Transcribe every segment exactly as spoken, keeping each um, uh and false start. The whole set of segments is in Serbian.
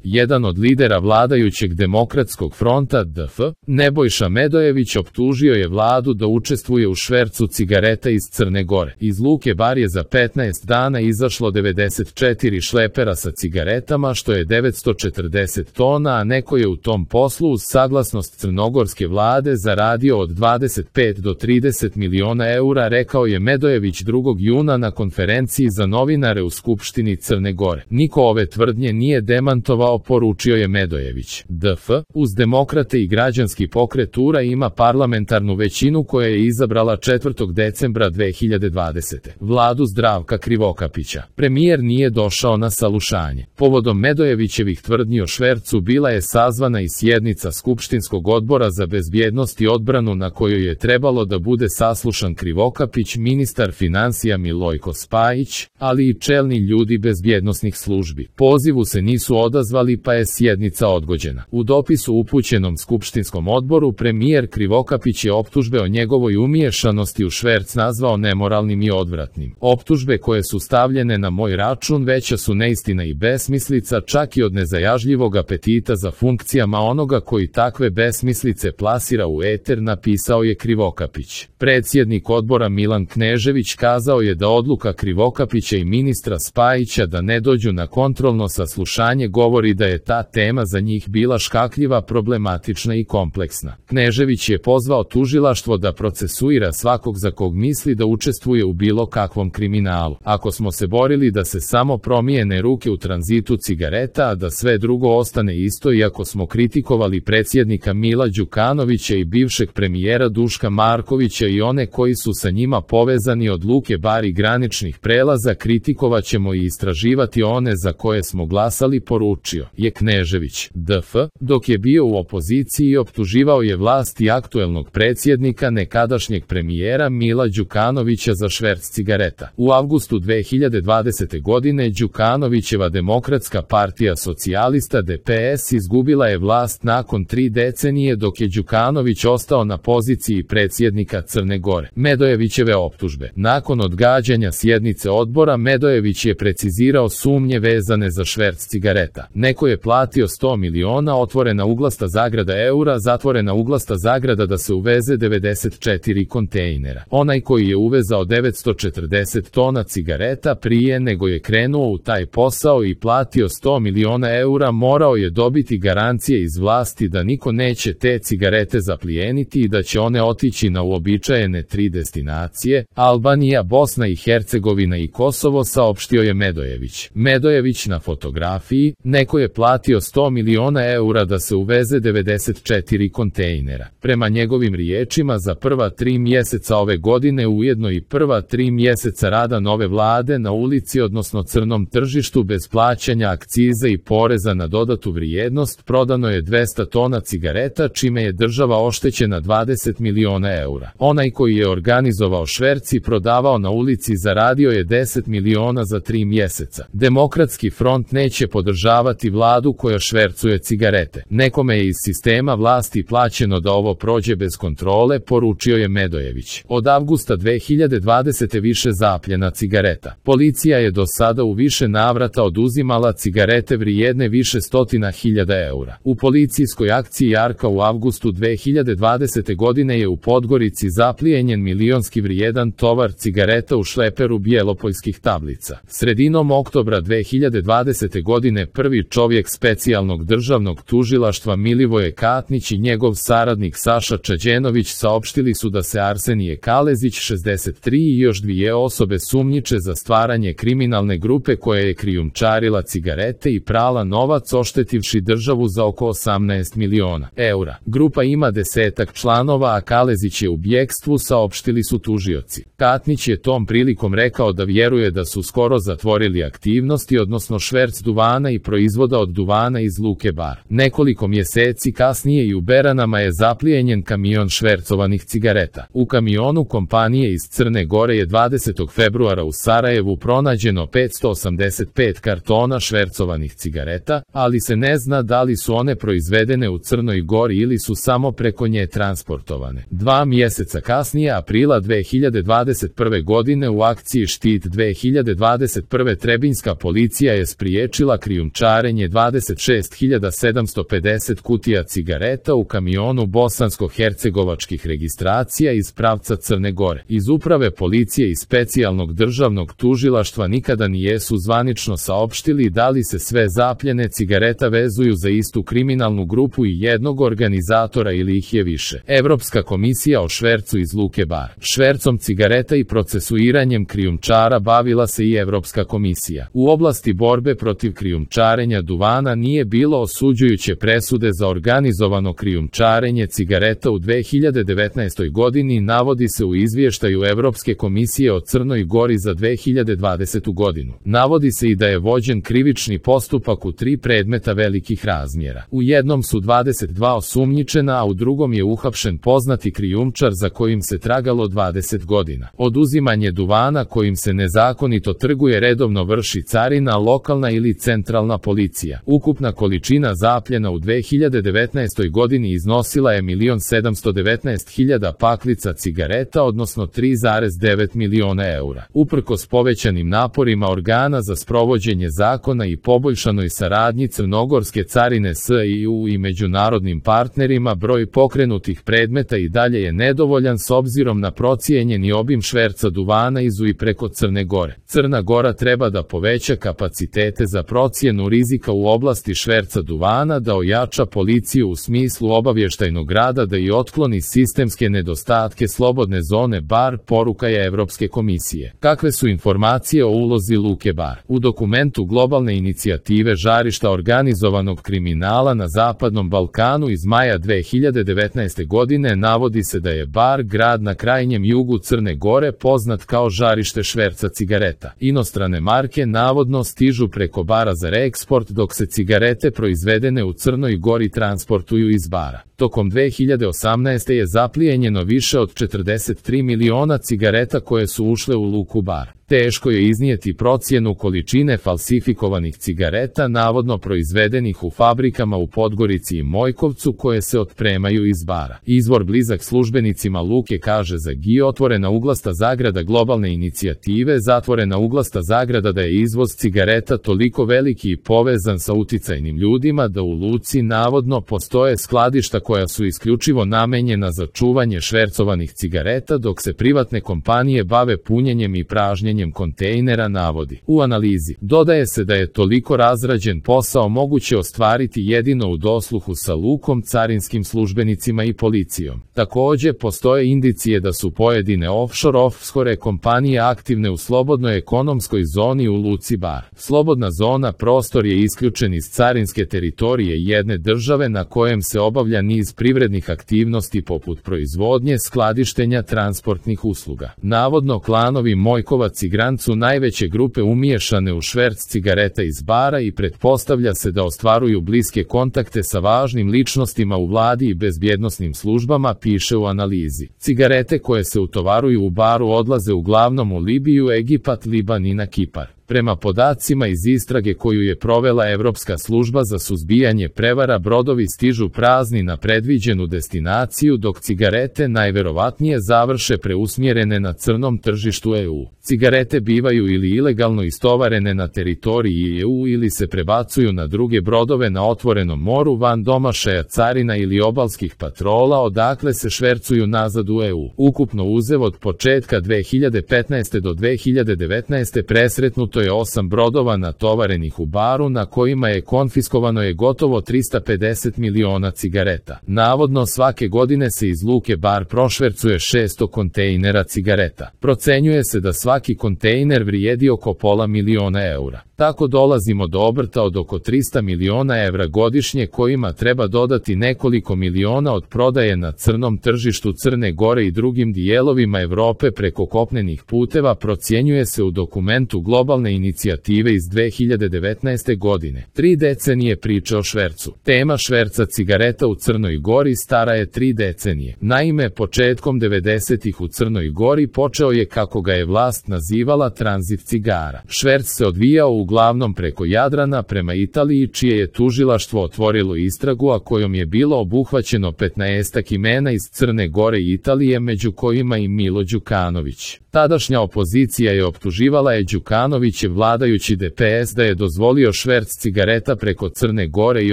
Jedan od lidera vladajućeg Demokratskog fronta D F, Nebojša Medojević, optužio je vladu da učestvuje u švercu cigareta iz Crne Gore. Iz Luke Bar je za petnaest dana izašlo devedeset četiri šlepera sa cigaretama, što je devetsto četrdeset tona, a neko je u tom poslu uz saglasnost crnogorske vlade zaradio od dvadeset pet do trideset miliona eura, rekao je Medojević drugog juna na konferenciji za novinare u Skupštini Crne Gore. Niko ove tvrdnje nije demantovao, poručio je Medojević. D F, uz Demokrate i Građanski pokret U-ra, ima parlamentarnu većinu koja je izabrala četvrtog decembra dve hiljade dvadesete. vladu Zdravka Krivokapića. Premijer nije došao na saslušanje. Povodom Medojevićevih tvrdnji o švercu bila je sazvana i sjednica Skupštinskog odbora za bezbjednost i odbranu, na kojoj je trebalo da bude saslušan Krivokapić, ministar finansija Milojko Spajić, ali i čelni ljudi bezbjednosnih službi. Pozivu se nisu odazvali, pa je sjednica odgođena. U dopisu upućenom Skupštinskom odboru premijer Krivokapić je optužbe o njegovoj umiješanosti u šverc nazvao nemoralnim i odvratnim. Optužbe koje su stavljene na moj račun veća su neistina i besmislica, čak i od nezajažljivog apetita za funkcijama onoga koji takve besmislice plasira u eter, napisao je Krivokapić. Predsjednik odbora Milan Knežević kazao je da odluka Krivokapića i ministra Spajića da ne dođu na kontrolno saslušanje govori da je ta tema za njih bila škakljiva, problematična i kompleksna. Knežević je pozvao tužilaštvo da procesuira svakog za kog misli da učestvuje u bilo kakvom kriminalu. Ako smo se borili da se samo promijene ruke u tranzitu cigareta, a da sve drugo ostane isto, i ako smo kritikovali predsjednika Mila Đukanovića i bivšeg premijera Duška Markovića i one koji su sa njima povezani od Luke Bar i graničnih prelaza, kritikovat ćemo i istraživati one za koje smo glasali, poručio je Knežević. D F, dok je bio u opoziciji, optuživao je vlast i aktuelnog predsjednika, nekadašnjeg premijera Mila Đukanovića za šverc cigareta. U avgustu dve hiljade dvadesete godine Đukanovićeva Demokratska partija socijalista D P S izgubila je vlast nakon tri decenije, dok je Đukanović ostao na poziciji predsjednika Crne Gore. Medojevićeve optužbe. Nakon odgađanja sjednice odbora, Medojević je precizirao sumnje vezane za šverc cigareta. Neko je platio sto miliona, otvorena uglasta zagrada eura, zatvorena uglasta zagrada, da se uveze devedeset četiri kontejnera. Onaj koji je uvezao devetsto četrdeset tona cigareta prije nego je krenuo u taj posao i platio sto miliona eura, morao je dobiti garancije iz vlasti da niko neće te cigarete zaplijeniti i da će one otići na uobičajene tri destinacije: Albanija, Bosna i Hercegovina i Kosovo, saopštio je Medojević. Medojević na fotografiji: neko je platio sto miliona eura da se uveze devedeset četiri kontejnera. Prema njegovim riječima, za prva tri mjeseca ove godine, ujedno i prva tri mjeseca rada nove vlade, na ulici odnosno crnom tržištu bez plaćanja akciza i poreza na dodatu vrijednost prodano je dvesta tona cigareta, čime je država oštećena dvadeset miliona eura. Onaj koji je organizovao šverc i prodavao na ulici zaradio je deset miliona za tri mjeseca. Demokratski front neće podržavati vladu koja švercuje cigarete. Nekome je iz sistema vlasti plaćeno da ovo prođe bez kontrole, poručio je Medojević. Od avgusta dve hiljade dvadesete više zapljena cigareta. Policija je do sada u više navrata oduzimala cigarete vrijedne više stotina hiljada eura. U policijskoj akciji Jarka u avgustu dve hiljade dvadesete godine je u Podgorici zaplijenjen milionski vrijedan tovar cigareta u šleperu bjelopoljskih tablica. Sredinom oktobra dve hiljade dvadesete godine prvi čovjek specijalnog državnog tužilaštva Milivoje Katnić i njegov saradnik Saša Čađenović saopštili su da se Arsenije Kalezić, šezdeset tri, i još dvije osobe sumnjiče za stvaranje kriminalne grupe koja je krijumčarila cigarete i prala novac, oštetivši državu za oko osamnaest miliona eura. Grupa ima desetak članova, a Kalezić je u bjekstvu, saopštili su tužioci. Katnić je tom prilikom rekao da vjeruje da su skoro zatvorili aktivnosti, odnosno šverc duvana i proizvoda od duvana iz Luke Bar. Nekoliko mjeseci kasnije i u Beranama je zaplijenjen kamion švercovanih cigareta. U kamionu kompanije iz Crne Gore je dvadesetog februara u Sarajevu pronađeno petsto osamdeset pet kartona švercovanih cigareta, ali se ne zna da li su one proizvedene u Crnoj Gori ili su samo preko nje transportovane. Dva mjeseca kasnije, aprila dve hiljade dvadeset prve godine, u akciji Štit dve hiljade dvadeset prve trebinjska policija je spriječila krijumčarenje ostvaren je dvadeset šest hiljada sedamsto pedeset kutija cigareta u kamionu bosansko-hercegovačkih registracija iz pravca Crne Gore. Iz uprave policije i specijalnog državnog tužilaštva nikada nijesu zvanično saopštili da li se sve zapljene cigareta vezuju za istu kriminalnu grupu i jednog organizatora ili ih je više. Evropska komisija o švercu iz luke Bar. Švercom cigareta i procesuiranjem krijumčara bavila se i Evropska komisija. U oblasti borbe protiv krijumčarenja duvana nije bilo osuđujuće presude za organizovano krijumčarenje cigareta u dve hiljade devetnaestoj godini, navodi se u izvještaju Evropske komisije o Crnoj Gori za dve hiljade dvadesetu godinu. Navodi se i da je vođen krivični postupak u tri predmeta velikih razmjera. U jednom su dvadeset dva osumnjičena, a u drugom je uhapšen poznati krijumčar za kojim se tragalo dvadeset godina. Oduzimanje duvana kojim se nezakonito trguje redovno vrši carina, lokalna ili centralna policija. Ukupna količina zapljena u dve hiljade devetnaestoj godini iznosila je milion sedamsto devetnaest hiljada paklica cigareta, odnosno tri zarez devet miliona eura. Uprkos povećanim naporima organa za sprovođenje zakona i poboljšanoj saradnji Crnogorske carine s E U i međunarodnim partnerima, broj pokrenutih predmeta i dalje je nedovoljan s obzirom na procijenjeni obim šverca duvana iz i preko Crne Gore. Crna Gora treba da poveća kapacitete za procjenu rizika u oblasti šverca duvana, da ojača policiju u smislu obavještajnog rada, da i otkloni sistemske nedostatke slobodne zone Bar, poruka je Evropske komisije. Kakve su informacije o ulozi luke Bar? U dokumentu globalne inicijative žarišta organizovanog kriminala na Zapadnom Balkanu iz maja dve hiljade devetnaeste godine navodi se da je Bar, grad na krajnjem jugu Crne Gore, poznat kao žarište šverca cigareta. Inostrane marke navodno stižu preko Bara za reeksport, dok se cigarete proizvedene u Crnoj Gori transportuju iz Bara. Tokom dve hiljade osamnaeste. je zaplijenjeno više od četrdeset tri miliona cigareta koje su ušle u luku Bar. Teško je iznijeti procjenu količine falsifikovanih cigareta navodno proizvedenih u fabrikama u Podgorici i Mojkovcu koje se otpremaju iz Bara. Izvor blizak službenicima luke kaže za G I otvorena uglasta zagrada globalne inicijative zatvorena uglasta zagrada da je izvoz cigareta toliko veliki i povezan sa uticajnim ljudima da u luci navodno postoje skladišta koja su isključivo namenjena za čuvanje švercovanih cigareta, dok se privatne kompanije bave punjenjem i pražnjenjem kontejnera, navodi. U analizi dodaje se da je toliko razrađen posao moguće ostvariti jedino u dosluhu sa lukom, carinskim službenicima i policijom. Također postoje indicije da su pojedine offshore offshore kompanije aktivne u slobodnoj ekonomskoj zoni u luci Bar. Slobodna zona prostor je isključen iz carinske teritorije jedne države na kojem se obavlja niz privrednih aktivnosti poput proizvodnje, skladištenja, transportnih usluga. Navodno klanovi Mojkovac i Grant su najveće grupe umiješane u šverc cigareta iz Bara i pretpostavlja se da ostvaruju bliske kontakte sa važnim ličnostima u vladi i bezbjednosnim službama, piše u analizi. Cigarete koje se utovaruju u Baru odlaze uglavnom u Libiju, Egipat, Liban i na Kipar. Prema podacima iz istrage koju je provela Evropska služba za suzbijanje prevara, brodovi stižu prazni na predviđenu destinaciju, dok cigarete najverovatnije završe preusmjerene na crnom tržištu E U. Cigarete bivaju ili ilegalno istovarene na teritoriji E U ili se prebacuju na druge brodove na otvorenom moru van domašaja carina ili obalskih patrola, odakle se švercuju nazad u E U. Ukupno uzev od početka dve hiljade petnaeste. do dve hiljade devetnaeste. presretnuto je osam brodova natovarenih u Baru na kojima je konfiskovano je gotovo trista pedeset miliona cigareta. Navodno svake godine se iz luke Bar prošvercuje šesto kontejnera cigareta. Procenjuje se da svaki kontejner vrijedi oko pola miliona eura. Tako dolazimo do obrta od oko trista miliona evra godišnje, kojima treba dodati nekoliko miliona od prodaje na crnom tržištu Crne Gore i drugim dijelovima Evrope preko kopnenih puteva, procjenjuje se u dokumentu globalne inicijative iz dve hiljade devetnaeste. godine. Tri decenije priče o švercu. Tema šverca cigareta u Crnoj Gori stara je tri decenije. Naime, početkom devedesetih u Crnoj Gori počeo je, kako ga je vlast nazivala, tranzit cigara. Šverc se odvijao u uglavnom preko Jadrana prema Italiji, čije je tužilaštvo otvorilo istragu, a kojom je bilo obuhvaćeno petnaestak imena iz Crne Gore i Italije, među kojima i Milo Đukanović. Tadašnja opozicija je optuživala je Đukanovićev vladajući D P S da je dozvolio šverc cigareta preko Crne Gore i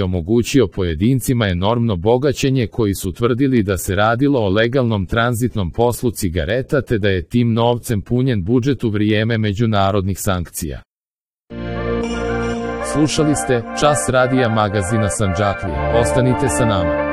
omogućio pojedincima enormno bogaćenje, koji su tvrdili da se radilo o legalnom tranzitnom poslu cigareta, te da je tim novcem punjen budžet u vrijeme međunarodnih sankcija. Slušali ste Čas radija magazina Sandžaklija. Ostanite sa nama.